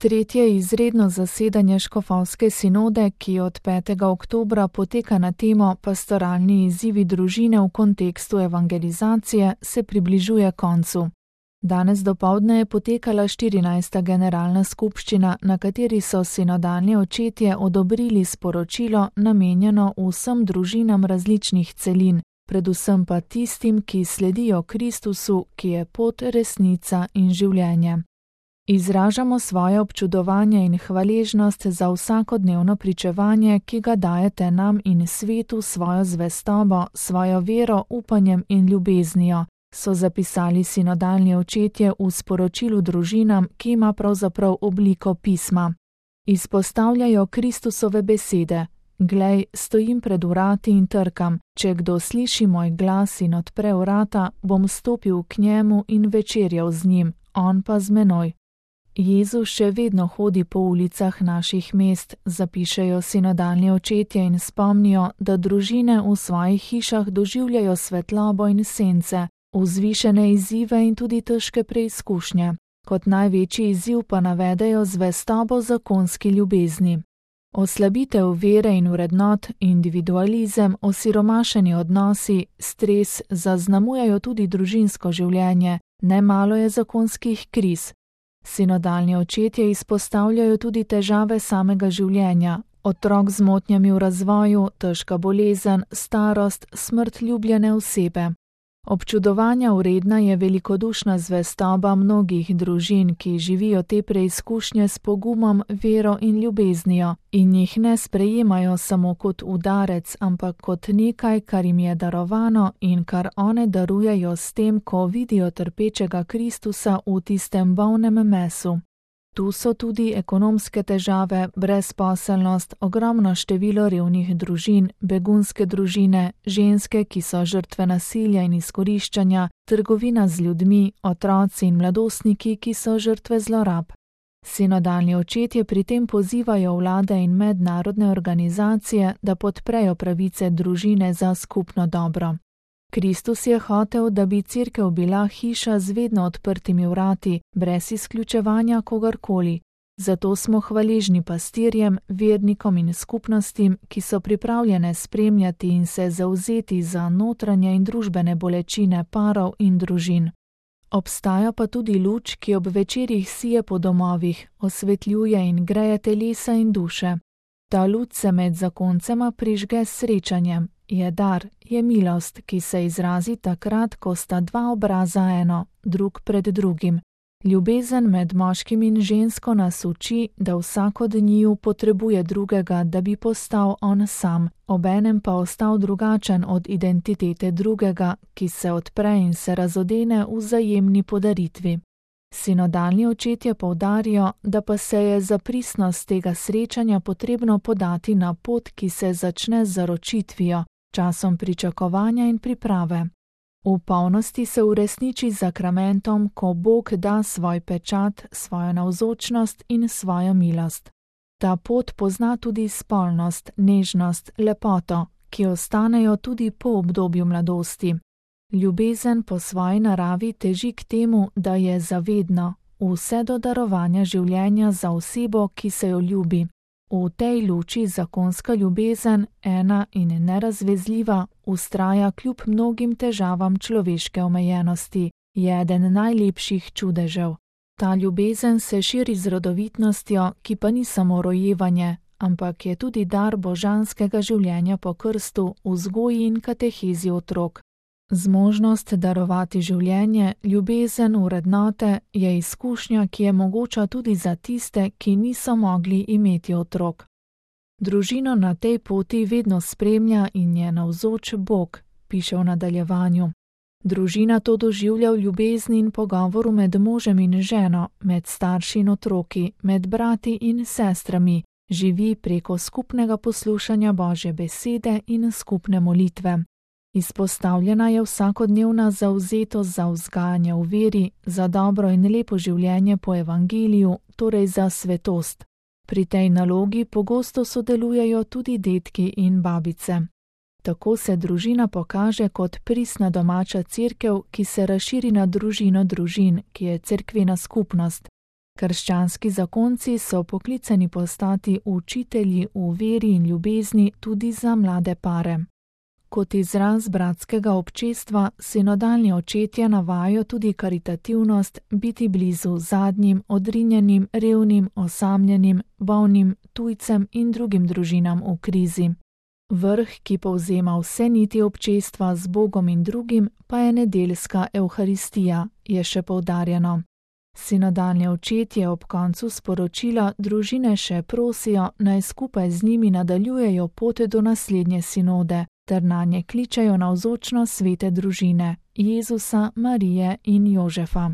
Tretje izredno zasedanje škofovske sinode, ki od 5. oktobra poteka na temo Pastoralni izzivi družine v kontekstu evangelizacije, se približuje koncu. Danes dopoldne je potekala 14. generalna skupščina, na kateri so sinodalni očetje odobrili sporočilo namenjeno vsem družinam različnih celin, predvsem pa tistim, ki sledijo Kristusu, ki je pot, resnica in življenje. Izražamo svoje občudovanje in hvaležnost za vsakodnevno pričevanje, ki ga dajete nam in svetu svojo zvestobo, svojo vero, upanjem in ljubeznijo, so zapisali sinodalni očetje v sporočilu družinam, ki ima pravzaprav obliko pisma. Izpostavljajo Kristusove besede: Glej, stojim pred vrati in trkam, če kdo sliši moj glas in odpre vrata, bom stopil k njemu in večerjal z njim, on pa z menoj. Jezus še vedno hodi po ulicah naših mest, zapišejo sinodalni očetje in spomnijo, da družine v svojih hišah doživljajo svetlobo in sence, vzvišene izzive in tudi težke preizkušnje. Kot največji izziv pa navedejo zvestobo zakonski ljubezni. Oslabitev vere in vrednot, individualizem, osiromašeni odnosi, stres zaznamujajo tudi družinsko življenje, nemalo je zakonskih kriz. Sinodalni očetje izpostavljajo tudi težave samega življenja, otrok z motnjami v razvoju, težka bolezen, starost, smrt ljubljene osebe. Občudovanja vredna je velikodušna zvestoba mnogih družin, ki živijo te preizkušnje s pogumom, vero in ljubeznijo in jih ne sprejemajo samo kot udarec, ampak kot nekaj, kar jim je darovano in kar one darujejo s tem, ko vidijo trpečega Kristusa v tistem bolnem mesu. Tu so tudi ekonomske težave, brezposelnost, ogromno število revnih družin, begunske družine, ženske, ki so žrtve nasilja in izkoriščanja, trgovina z ljudmi, otroci in mladostniki, ki so žrtve zlorab. Sinodalni očetje pri tem pozivajo vlade in mednarodne organizacije, da podprejo pravice družine za skupno dobro. Kristus je hotel, da bi cerkev bila hiša z vedno odprtimi vrati, brez izključevanja kogarkoli. Zato smo hvaležni pastirjem, vernikom in skupnostim, ki so pripravljene spremljati in se zavzeti za notranje in družbene bolečine parov in družin. Obstaja pa tudi luč, ki ob večerjih sije po domovih, osvetljuje in greje telesa in duše. Ta luč se med zakoncema prižge s srečanjem. Je dar, je milost, ki se izrazi takrat, ko sta dva obraza eno, drug pred drugim. Ljubezen med moškim in žensko nas uči, da vsak od njiju potrebuje drugega, da bi postal on sam, obenem pa ostal drugačen od identitete drugega, ki se odpre in se razodene v vzajemni podaritvi. Sinodalni očetje poudarijo, da pa se je za pristnost tega srečanja potrebno podati na pot, ki se začne z zaročitvijo, časom pričakovanja in priprave. V polnosti se uresniči z zakramentom, ko Bog da svoj pečat, svojo navzočnost in svojo milost. Ta pot pozna tudi spolnost, nežnost, lepoto, ki ostanejo tudi po obdobju mladosti. Ljubezen po svoji naravi teži k temu, da je zavedno, vse do darovanja življenja za osebo, ki se jo ljubi. V tej luči zakonska ljubezen, ena in nerazvezljiva, vztraja kljub mnogim težavam človeške omejenosti, je eden najlepših čudežev. Ta ljubezen se širi z rodovitnostjo, ki pa ni samo rojevanje, ampak je tudi dar božanskega življenja po krstu, vzgoji in katehezi otrok. Zmožnost darovati življenje, ljubezen, vrednote je izkušnja, ki je mogoča tudi za tiste, ki niso mogli imeti otrok. Družino na tej poti vedno spremlja in je navzoč Bog, piše v nadaljevanju. Družina to doživlja v ljubezni in pogovoru med možem in ženo, med starši in otroki, med brati in sestrami, živi preko skupnega poslušanja Božje besede in skupne molitve. Izpostavljena je vsakodnevna zavzetost za vzgajanje v veri, za dobro in lepo življenje po evangeliju, torej za svetost. Pri tej nalogi pogosto sodelujejo tudi dedki in babice. Tako se družina pokaže kot pristna domača cerkev, ki se razširi na družino družin, ki je cerkvena skupnost. Krščanski zakonci so poklicani postati učitelji v veri in ljubezni tudi za mlade pare. Kot izraz bratskega občestva sinodalni očetje navajajo tudi karitativnost, biti blizu zadnjim, odrinjenim, revnim, osamljenim, bolnim, tujcem in drugim družinam v krizi. Vrh, ki povzema vse niti občestva z Bogom in drugim, pa je nedeljska evharistija, je še poudarjeno. Sinodalni očetje ob koncu sporočila družine še prosijo, naj skupaj z njimi nadaljujejo pot do naslednje sinode, ter nanje kličejo navzočnost svete družine, Jezusa, Marije in Jožefa.